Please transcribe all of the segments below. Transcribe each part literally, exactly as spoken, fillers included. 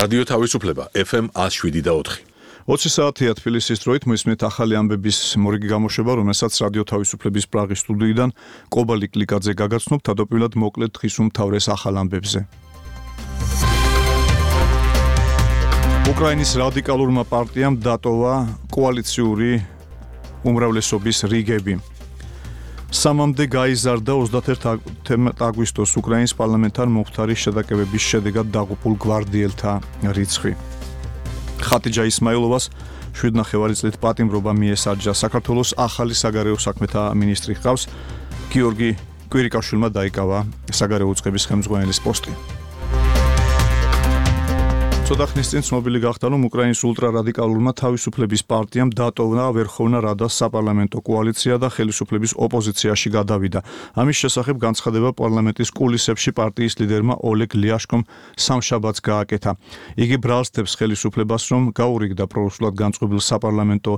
რადიო თავისუფლება ეფ ემ ათს შვიდი და ოთხი. ოცი საათია თბილისის დროით მოისმენთ ახალი ამბების მორიგი გამოშვება, რომელსაც რადიო თავისუფლების პრაღის სტუდიიდან კობალი კლიკაძე გაგაცნობ, თავდაპირველად მოკლედ დღის უმთავრეს ახალ ამბებზე. უკრაინის რადიკალურმა პარტიამ დატოვა კოალიციური უმრავლესობის რიგები. სამამდე გაიზარდა ოცდაათი აგვისტოს უკრაინის პარლამენტთან მომხდარი შეტაკებების შედეგად დაღუპულ გვარდიელთა რიცხვი. ხატიჯა ისმაილოვას შვიდ ნახევარი წლით პატიმრობა მიესაჯა. საქართველოს ახალი საგარეო საქმეთა მინისტრი ჰყავს. გიორგი კვირიკაშვილმა დაიკავა საგარეო უწყების ხელმძღვანელის პოსტი. ცოტა ხნის წინ ცნობილი გახდა, რომ უკრაინის ულტრარადიკალურმა თავისუფლების პარტიამ დატოვა ვერხოვნა რადას საპარლამენტო კოალიცია და ხელისუფლების ოპოზიციაში გადავიდა. ამის შესახებ განცხადება პარლამენტის კულისებში პარტიის ლიდერმა ოლეგ ლიაშკომ სამშაბათს გააკეთა. იგი ბრალსდებს ხელისუფლებას, რომ გაურიგდა პრორუსულად განწყობილ საპარლამენტო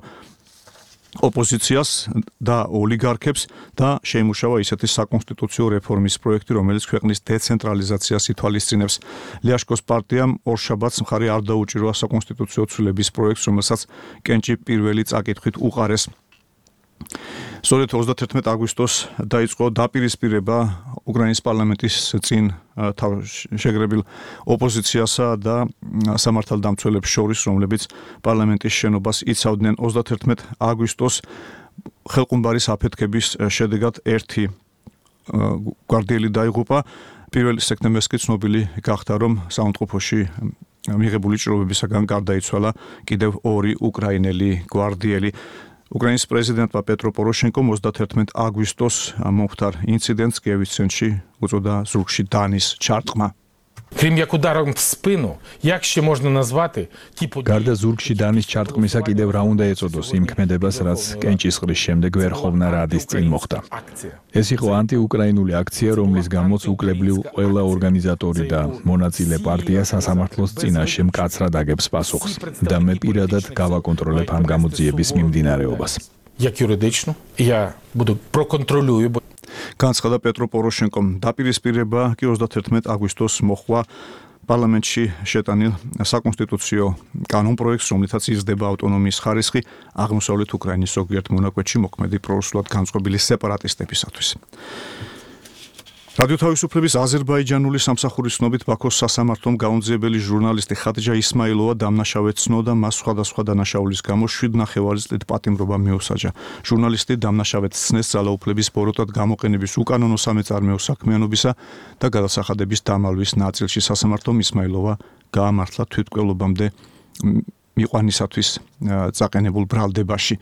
ოპოზიციას და ოლიგარქებს და შეიმუშავა ისეთი საკონსტიტუციო რეფორმის პროექტი, რომელიც ქვეყნის დეცენტრალიზაციას ითვალისწინებს. ლიაშკოს პარტიამ ორშაბათს მხარი არ დაუჭირვა საკონსტიტუციო ცვლილების პროექტს, რომელსაც კენჭი პირველი წაკითხვით უყარეს. სწორედ ოცდაათი აგვისტოს დაიწყო დაპირისპირება უკრაინის პარლამენტის წინ შეგრებილ ოპოზიციასა და სამართალდამცველებს შორის, რომლებიც პარლამენტის შენობას იცავდნენ. ოცდაათი აგვისტოს ხელყუმბარის აფეთქების შედეგად ერთი გვარდიელი დაიღუპა. პირველი სექტემბერს კი ცნობილი გახდა, რომ საუნდტროფოში მიღებული ჭრილობებისაგან გარდაიცვალა კიდევ ორი უკრაინელი გვარდიელი. უკრაინის პრეზიდენტმა პეტრო პოროშენკომ ოცდაათი აგვისტოს მომხდარ ინციდენტს კიევის ცენტრში უწოდა ზურგში დანის ჩარტყმა. Крім як ударом в спину, як ще можна назвати ті події? გარდა ზურგში დანის ჩარტყმისა კიდევ რა უნდა ეწოდოს იმ ქმედებას, რაც კენჭისყრის შემდეგ ვერხოვნა რადის წინ მოხდა. ეს იყო ანტიუკრაინული აქცია, რომლის გამოც უკლებლივ ყველა ორგანიზატორი და მონაწილე პარტია სასამართლოს წინაშე მკაცრად აგებს პასუხს და მე პირადად გავაკონტროლებ ამ გამოძიების მიმდინარეობას. Як юридично, я буду проконтролюю. განცხადა პეტრო პოროშენკომ. დაპირისპირება კი ოცდაათი აგვისტოს მოხდა პარლამენტში შეტანილ საკონსტიტუციო კანონპროექტს, რომლითაც იზრდება ავტონომიის ხარისხი აღმოსავლეთ უკრაინის ზოგიერთ მონაკვეთში მოქმედი პრორუსულად განწყობილი სეპარატისტებისათვის. რადიო თავისუფლების აზერბაიჯანული სამსახურის ცნობით ბაქოს სასამართლომ გაუნძიებელი ჟურნალისტი ხატიჯა ისმაილოვა დამნაშავედ ცნო და მას სხვადასხვა დანაშაულის გამო შვიდ ნახევარი წლით პატიმრობა მიუსაჯა. ჟურნალისტი დამნაშავედ ცნეს ძალაუფლების ბოროტად გამოყენების უკანონო სამეწარმეო საქმიანობისა და გადასახადების დამალვის ნაწილში. სასამართლომ ისმაილოვა გაამართლა თვითმკვლელობამდე მიყვანისათვის წაყენებულ ბრალდებაში.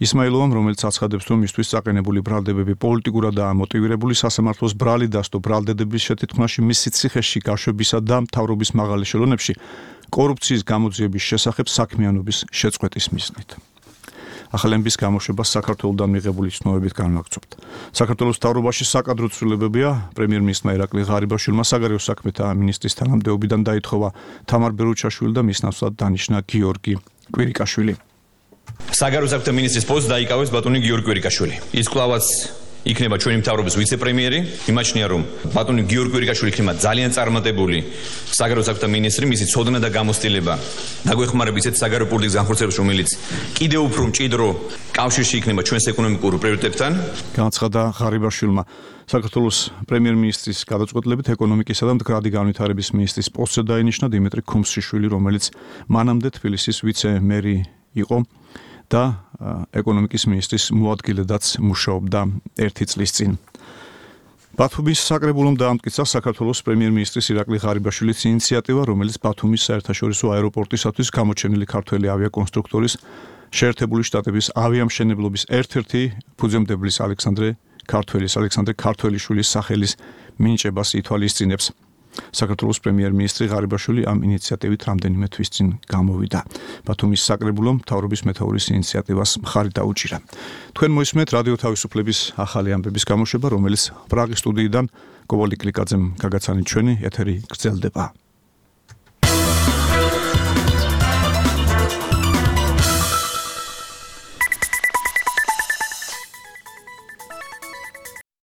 ისმაილოვამ, რომელიც აცხადებს, რომ მისთვის წაყენებული ბრალდებები პოლიტიკურადაა მოტივირებული, სასამართლოს ბრალი დასდო ბრალდების შეთქმაში მისი ციხეში გაშვებისა და მთავრობის მაღალი ешელონებში კორუფციის გამოძიების შესახებ საქმიანობის შეწყვეტის მიზნით. ახალების გამოშვებას საქართველოსთან მიღებული ცნობებით განვაგრძობთ. საქართველოს მთავრობაში საკადრო ცვლილებებია. პრემიერ-მინისტრმა ირაკლი ღარიბაშვილმა საგარეო საქმეთა მინისტრის თანამდებობიდან დაითხოვა თამარ ბერუჩაშვილი და მის ნაცვლად დანიშნა გიორგი კვირიკაშვილი. საგარეო საქმეთა მინისტრის პოსტს დაიკავეს ბატონი გიორგი კვირიკაშვილი. ის კვლავაც იქნება ჩვენი მთავრობის ვიცე-პრემიერი. იმაჩნია, რომ ბატონი გიორგი კვირიკაშვილი იქნება ძალიან წარმატებული საგარეო საქმეთა მინისტრი, მისი ცოდნა და გამოცდილება დაგვეხმარება ისეთ საგარეო პოლიტიკის განხორციელებას, რომელიც კიდევ უფრო მჭიდრო კავშირში იქნება ჩვენს ეკონომიკურ პრიორიტეტებთან. განცხადა ღარიბაშვილმა. საქართველოს პრემიერ-მინისტრის გადაწყვეტილებით ეკონომიკისა და მდგრადი განვითარების მინისტრის პოსტზე დაინიშნა დიმიტრი ქუმსიშვილი, რომელიც მანამდე თბილისის ვიცე-მერი იყო და ეკონომიკის მინისტრის მოადგილედაც მუშაობდა ერთი წლის წინ. ბათუმის საკრებულომ დაამტკიცა საქართველოს პრემიერ-მინისტრის ირაკლი ღარიბაშვილის ინიციატივა, რომელიც ბათუმის საერთაშორისო აეროპორტისათვის გამოჩენილი ქართველი ავიაკონსტრუქტორის შეერთებული შტატების ავიამშენებლობის ერთ-ერთი ფუძემდებლის ალექსანდრე ქართველის ალექსანდრე ქართველიშვილის სახელის მინიჭებას ითვალისწინებს. საქართველოს პრემიერ-მინისტრი ღარიბაშვილი ამ ინიციატივით რამდენიმე თვის წინ გამოვიდა. ბათუმის საკრებულომ მთავრობის მეთაურის ინიციატივას მხარი დაუჭირა. თქვენ მოისმენთ რადიო თავისუფლების ახალი ამბების გამოშვება, რომელიც პრაღის სტუდიიდან კობალი კლიკაძემ გაგაცანით ჩვენი ეთერი გრძელდება.